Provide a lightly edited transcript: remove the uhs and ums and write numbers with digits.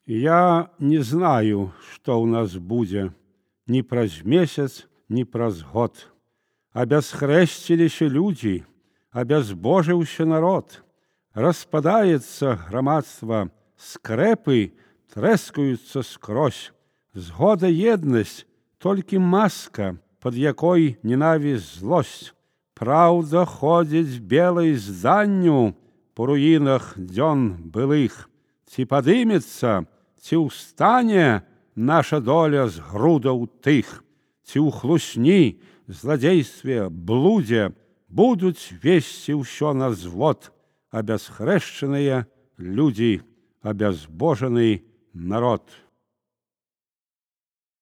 Я не знаю, што ў нас будзе ні праз месяц, ні праз год. Абясхрэсціліся людзі, абязбожыўся народ. Распадаецца грамадства, скрэпы трэскаюцца скрозь. Згода, еднасць, толькі маска, пад якой ненавісць, злосць. Праўда ходзіць белай зданню по руінах дзён былых. Ці падымецца, ці ўстане наша доля з грудаў тых, ці ў хлусні, зладзействе, блудзе будуць весці ўсё на звод абясхрэшчаныя людзі, абязбожаны народ.